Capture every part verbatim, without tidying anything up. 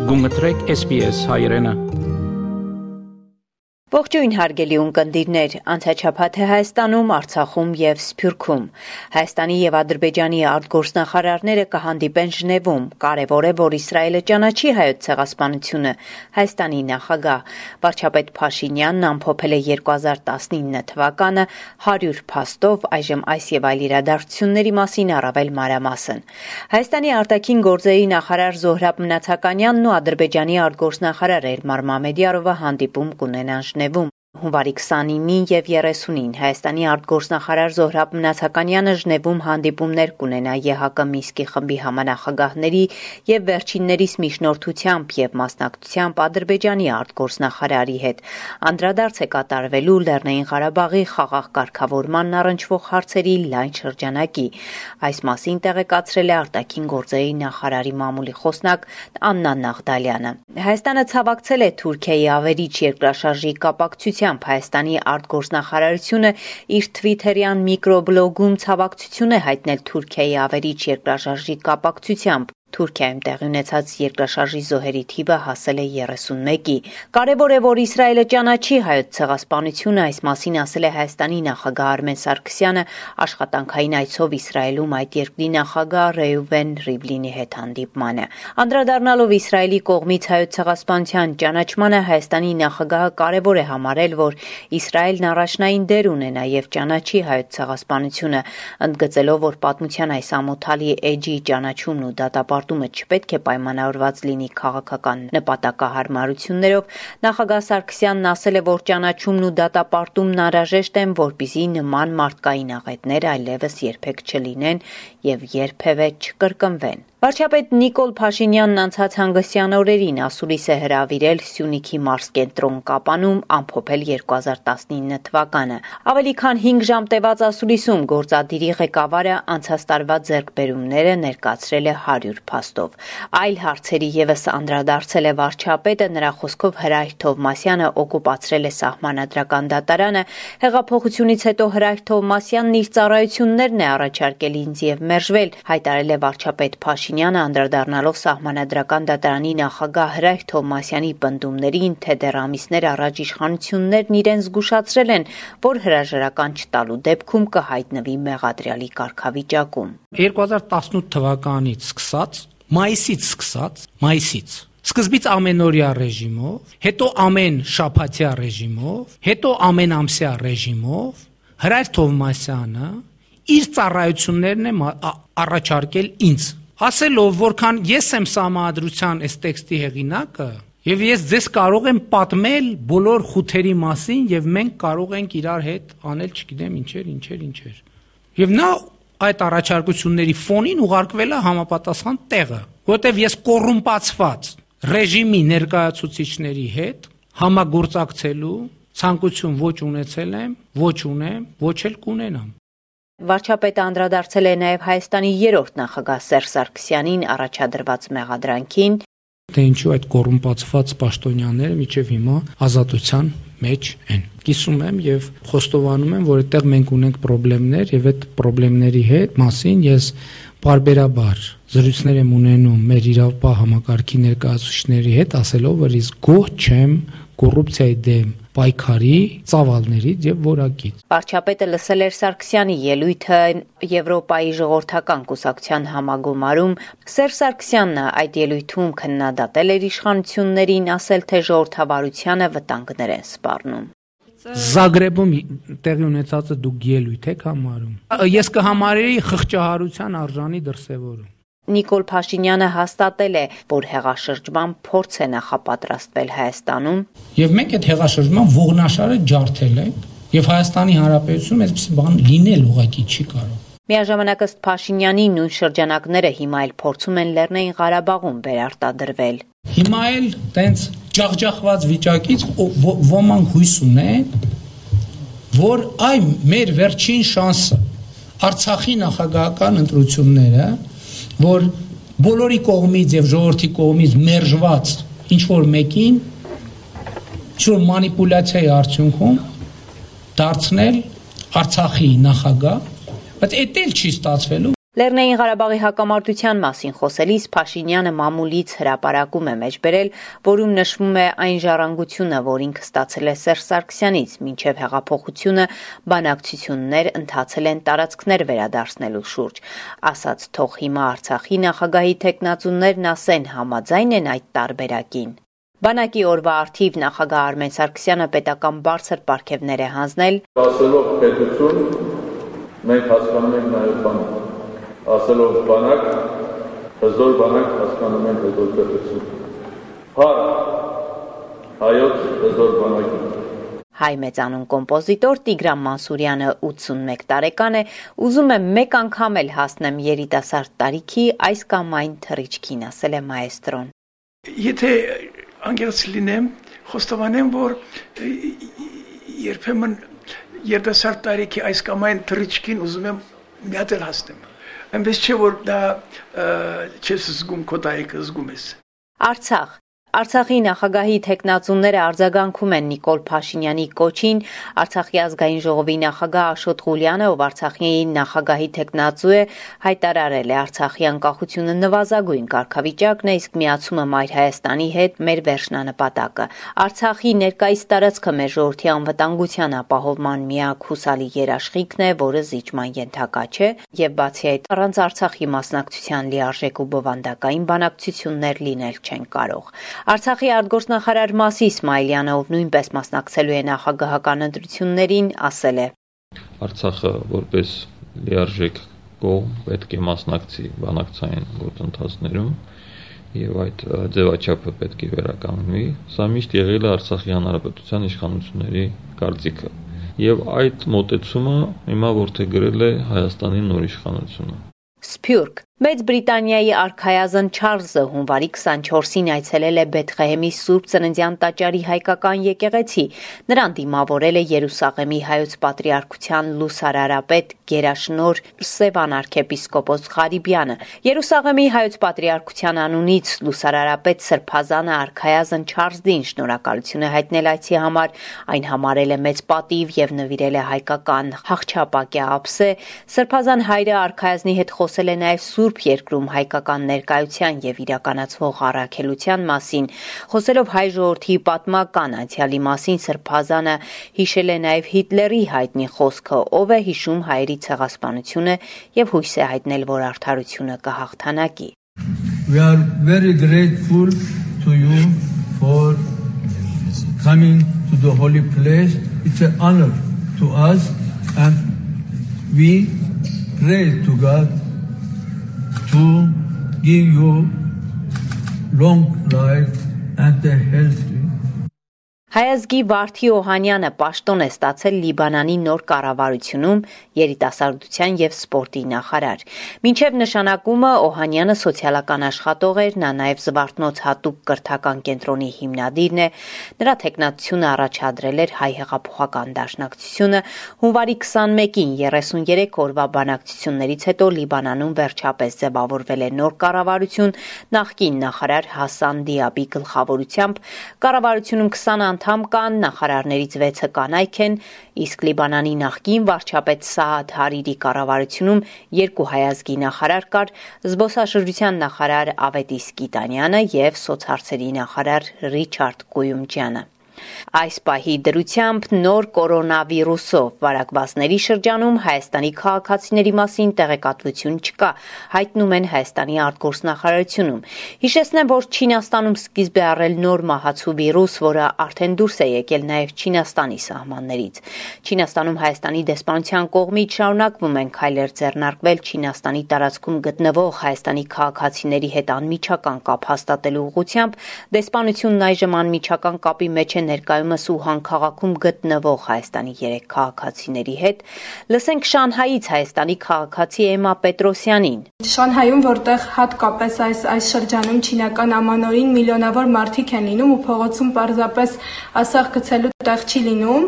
Գումտրեք S B S հայրենը։ Ողջույն հարգելի ունկնդիրներ, անցաչափած է Հայաստանում, Արցախում եւ Սփյուռքում։ Հայաստանի եւ Ադրբեջանի արտգործնախարարները կհանդիպեն Ժնևում։ Կարևոր է, որ Իսրայելը ճանաչի հայոց ցեղասպանությունը։ Հայաստանի նախագահ վարչապետ Փաշինյանն ամփոփել է երկու հազար տասնինը թվականը հարյուր փաստով, այժմ այս եւ այլ իրադարձությունների մասին առավել մանրամասն։ Հայաստանի արտաքին գործերի նախարար Զոհրաբ Մնացականյանն ու Ադրբեջանի արտգործնախարար Էլմար Մամեդյարովը հանդիպում կունենան Ժնևում։ Հունվարի քսանինին եւ երեսունին Հայաստանի արտգործնախարար Զոհրաբ Մնացականյանը Ժնևում հանդիպումներ կունենա Է Հ Կ Մինսկի խմբի համանախագահների եւ վերջիններիս միջնորդությամբ եւ մասնակցությամբ Ադրբեջանի արտգործնախարարի հետ։ Անդրադարձ է կատարվելու Լեռնային Ղարաբաղի խաղաղ կարգավորմանն առնչվող հարցերի լայն շրջանակի։ Այս մասին տեղեկացրել է արտաքին գործերի նախարարի մամուլի խոսնակ Աննա Նաղդալյանը։ Հայաստանը ցավակցել է Թուրքիայի ավերիչ երկրաշարժի կապակցությամբ Հայաստանի արտգործնախարարությունը իր թվիթերյան միկրոբլոգում ցավակցություն է հայտնել Թուրքիայի ավերիչ երկրաշարժի կապակցությամբ։ Թուրքիայում տեղի ունեցած երկրաշարժի զոհերի թիվը հասել է երեսունմեկի։ Կարևոր է, որ Իսրայելը ճանաչի հայոց ցեղասպանությունը, այս մասին ասել է Հայաստանի նախագահ Արմեն Սարգսյանը աշխատանքային այցով Իսրայելում այդ երկրի նախագահ Ռեյվեն Ռիվլինի հետ հանդիպմանը։ Անդրադառնալով Իսրայելի կողմից հայոց ցեղասպանության ճանաչմանը, Հայաստանի նախագահը կարևոր է համարել, որ Իսրայելն առաջնային դեր ունենա եւ ճանաչի հայոց ցեղասպանությունը, ընդգծելով, որ պատմության այս ամոթալի էջի ճանաչումն ու դատապարտումը չպետք է պայմանավորված լինի քաղաքական նպատակահարմարություններով, նախագահ Սարգսյանն ասել է, որ ճանաչումն ու դատապարտումն անհրաժեշտ են, որպեսզի նման մարդկային աղետներ այլևս երբեք չլինեն եւ երբևէ չկրկնվեն։ Վարչապետ Նիկոլ Փաշինյանն անցած հանգստյան օրերին ասուլիս է հրավիրել Սյունիքի մարզկենտրոն Կապանում ամփոփել երկու հազար տասնինը թվականը։ Ավելի քան հինգ ժամ տևած ասուլիսում գործադիրի ղեկավարը անցած տարվա ձեռքբերումները ներկայացրել է հարյուր փաստով։ Այլ հարցերի եւս անդրադարձել է վարչապետը, նրա խոսքով Հրայր Թովմասյանը օկուպացրել է Սահմանադրական դատարանը, հեղափոխությունից հետո Հրայր Թովմասյանն իր ծառայություններն է առաջարկել ինձ եւ մերժվել, հայտարարել է վարչապետ Փաշինյանը անդրադառնալով Սահմանադրական դատարանի նախագահ Հրայր Թովմասյանի պնդումներին, թե դեռ ամիսներ առաջ իշխանություններն իրեն զգուշացրել են, որ հրաժարական չտալու դեպքում կհայտնվի մեղադրյալի կարգավիճակում։ երկու հազար տասնութ թվականից սկսած, մայիսից սկսած, մայիսից սկզբից ամենօրյա ռեժիմով, հետո ամեն շաբաթյա ռեժիմով, հետո ամեն ամսյա ռեժիմով Հրայր Թովմասյանը իր ծառայություններն է առաջարկել ինձ, ասելով, որքան ես եմ Սահմանադրության այս տեքստի հեղինակը, եւ ես ձեզ կարող եմ պատմել բոլոր խութերի մասին եւ մենք կարող ենք իրար հետ անել, չգիտեմ, ինչեր, ինչեր, ինչեր։ Եվ նա այդ առաջարկությունների ֆոնին ուղարկվել է համապատասխան տեղը, որտեղ ես կոռումպացված ռեժիմի ներկայացուցիչների հետ համագործակցելու ցանկություն ոչ ունեցել եմ, ոչ ունեմ, ոչ էլ կունենամ։ Վարչապետը անդրադարձել է նաև Հայաստանի երրորդ նախագահ Սերժ Սարգսյանին առաջադրված մեղադրանքին, թե ինչու այդ կոռումպացված պաշտոնյաները մինչև հիմա ազատության մեջ են։ Կիսում եմ եւ խոստովանում եմ, որ այդտեղ մենք ունենք խնդիրներ եւ այդ խնդիրների հետ մասին ես բարբերաբար զրույցներ եմ ունենում մեր իրավապահ համակարգի ներկայացուցիչների հետ, ասելով, որ ես գոհ չեմ կոռուպցիայի դեմ պայքարի ծավալներից եւ որակից։ Վարչապետը լսել էր Սարգսյանի ելույթը Եվրոպայի ժողովրդական կուսակցության համագումարում։ Սերժ Սարգսյանն այդ ելույթում քննադատել էր իշխանություններին, ասել, թե ժողովրդավարությանը վտանգներ են սպառնում։ Զագրեբում տեղի ունեցածը դուք ելույթ եք համարում։ Ես կհամարեի խղճահարության արժանի դրսևորում։ Նիկոլ Փաշինյանը հաստատել է, որ հեղաշրջման փորձ է նախապատրաստվել Հայաստանում։ Եվ մենք այդ հեղաշրջման ողնաշարը ջարդել ենք, եւ Հայաստանի Հանրապետությունում այսպես բան լինել ուղղակի չի կարող։ Միաժամանակ ըստ Փաշինյանի նույն շրջանակները հիմա էլ փորձում են Լեռնային Ղարաբաղում վերարտադրվել։ Հիմա էլ տենց ջախջախված վիճակից ոմանք հույս ունեն, որ այ մեր վերջին շանսը Արցախի նախագահական ընտրությունները, որ բոլորի կողմից եւ ժողովրդի կողմից մերժված ինչ որ մեկին ինչ որ մանիպուլյացիայի արդյունքում դարձնել Արցախի նախագահ, բայց էդ էլ չի ստացվելու։ Լեռնային Ղարաբաղի հակամարտության մասին խոսելիս Փաշինյանը մամուլից հրապարակում է մեջ բերել, որում նշվում է այն ժառանգությունը, որ ինքը ստացել է Սերժ Սարգսյանից, մինչև հեղափոխությունը բանակցություններ ընթացել են տարածքներ վերադարձնելու շուրջ, ասաց թող հիմա Արցախի նախագահի թեկնածուներն ասեն, համաձայն են այդ տարբերակին։ Բանակի օրվա արդիվ նախագահ Արմեն Սարգսյանը պետական բարձր պարգևներ է հանձնել, ասելով պետություն, մենք հասկանում ենք նաև բանակ, ասելով բանակ, հզոր բանակ հասկանում ենք հզոր պետություն, հար, հայոց հզոր բանակի։ Հայ մեծանուն կոմպոզիտոր Տիգրան Մանսուրյանը ութսունմեկ տարեկան է, ուզում է մեկ անգամ էլ հասնեմ երիտասարդ տարիքի այս կամ այն թռիչքին, ասել է մայեստրոն։ Եթե անգերց լինեմ, խոստովանեմ, որ երբեմն երիտասարդ տարիքի այս կամ այն թռիչքին ուզում եմ մի հատ էլ հասնեմ։ Այնպես չէ, որ դա չես զգում, քո տարիքը զգում ես։ Արցախ Արցախի նախագահի թեկնածուները արձագանքում են Նիկոլ Փաշինյանի կոչին, Արցախի ազգային ժողովի նախագահ Աշոտ Ղուլյանը, ով Արցախի նախագահի թեկնածու է, հայտարարել է Արցախի անկախությունը նվազագույն կարգավիճակն է, իսկ միացումը Մայր Հայաստանի հետ մեր վերջնանպատակը։ Արցախի ներկայիս տարածքը մեր ժողովրդի անվտանգության ապահովման միակ հուսալի երաշխիքն է, որը զիջման ենթակա չէ, եւ բացի այդ, առանց Արցախի մասնակցության լիարժեք ու բովանդակային բանակցություններ լինել չեն կարող։ Արցախի արտգործնախարար Մասի Իսմայելյանը, ով նույնպես մասնակցելու է նախագահական ընտրություններին, ասել է. Արցախը որպես լիարժեք կողմ պետք է մասնակցի բանակցային գործընթացներում եւ այդ ձևաչափը պետք է վերականգնվի։ Սա միշտ եղել է Արցախի հանրապետության իշխանությունների կարծիքը եւ այդ մոտեցումը հիմա որդեգրել է Հայաստանի նոր իշխանությունը։ Սփյուռք Մեծ Բրիտանիայի արքայազն Չարլզը հունվարի քսանչորսին այցելել է Բեթղեհեմի Սուրբ Ծննդյան տաճարի հայկական եկեղեցի։ Նրան դիմավորել է Երուսաղեմի հայոց պատրիարքության լուսարարապետ գերաշնորհ Սևան arczepiskopos Ղարիբյանը։ Երուսաղեմի հայոց պատրիարքության անունից լուսարարապետ Սրբազանը արքայազն Չարլզին շնորհակալություն է հայտնել այցի համար, այն համարել է մեծ պատիվ եւ նվիրել է հայկական հաղճապակյա ափսե։ Սրբազան հայրը արքայազնի հետ խոսել է նաեւ Սուրբ երկրում հայկական ներկայության եւ իրականացվող առաքելության մասին, խոսելով հայ ժողովրդի պատմական անցյալի մասին, Սրբազանը հիշել է նաեւ Հիտլերի հայտնի խոսքը, ով է հիշում հայերի ցեղասպանությունը եւ հույս է հայտնել, որ արդարությունը կհաղթանակի։ We are very grateful to you for coming to the holy place. It's an honor to us and we pray to God to give you long life and a healthy. Հայազգի Վարդի Օհանյանը պաշտոն է ստացել Լիբանանի նոր կառավարությունում երիտասարդության եւ սպորտի նախարար։ Մինչև նշանակումը Օհանյանը սոցիալական աշխատող էր, նա նաեւ Զվարթնոց հատուկ կրթական կենտրոնի հիմնադիրն է։ Նրա թեկնածությունը առաջադրել էր Հայ հեղափոխական դաշնակցությունը։ Հունվարի քսանմեկին երեսուներեք օրվա բանակցություններից հետո Լիբանանում վերջապես ձևավորվել է նոր կառավարություն նախկին նախարար Հասան Դիաբի գլխավորությամբ։ Կառավարությունում քսան անդամ կան, նախարարներից վեցը կանայք են, իսկ Լիբանանի նախկին վարչապետ Սաադ Հարիրի կառավարությունում երկու հայազգի նախարար կար, զբոսաշրջության նախարար Ավետիս Կիտանյանը եւ սոցհարցերի նախարար Ռիչարդ Կույումջյանը։ Այս պահի դրությամբ նոր կորոնավիրուսով վարակվածների շրջանում Հայաստանի քաղաքացիների մասին տեղեկատվություն չկա, հայտնում են Հայաստանի արտգործնախարարությունում։ Հիշեցնեմ, որ Չինաստանում սկիզբ է առել նոր մահացու վիրուս, որը արդեն դուրս է եկել նաև Չինաստանի սահմաններից։ Չինաստանում Հայաստանի դեսպանության կողմից շարունակվում են քայլեր ձեռնարկվել Չինաստանի տարածքում գտնվող Հայաստանի քաղաքացիների հետ անմիջական կապ հաստատելու ուղղությամբ։ Դեսպանությունն այժմ անմիջական կապի մեջ է ներկայումս Ուհան քաղաքում գտնվող Հայաստանի երեք քաղաքացիների հետ։ Լսենք Շանհայից Հայաստանի քաղաքացի Էմա Պետրոսյանին։ Շանհայում, որտեղ հատկապես այս այս շրջանում չինական ամանորին միլիոնավոր մարդիկ են լինում ու փողոցում պարզապես ասեղ գցելու տեղ չի լինում,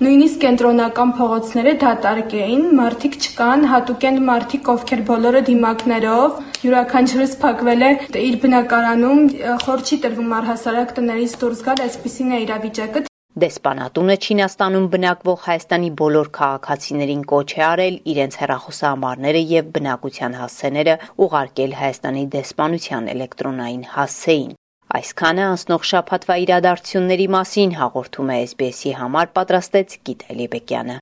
նույնիսկ կենտրոնական փողոցները դատարկ էին, մարդիկ չկան, հատուկ են մարդիկ, ովքեր բոլորը դիմակներով, յուրաքանչյուրս փակվել է իր բնակարանում, խոր չի տրվում առհասարակ տներից դուրս գալ, այսպիսին է իրավիճակը։ Դեսպանատունը Չինաստանում բնակվող Հայաստանի բոլոր քաղաքացիներին կոչ է արել իրենց հեռախոսահամարները եւ բնակության հասցեները ուղարկել Հայաստանի դեսպանության էլեկտրոնային հասցեին։ Այսքանը անցնող շաբաթվա իրադարձությունների մասին հաղորդում է էս բի էս-ի համար պատրաստեց Գիտալի Բեկյանը։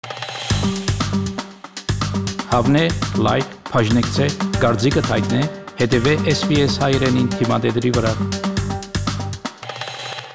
Հավնե, լայք, բաժնեկցե, դարձիկը թայտնե, հետևե էս բի էս հայրենին թիմադեդի վրա։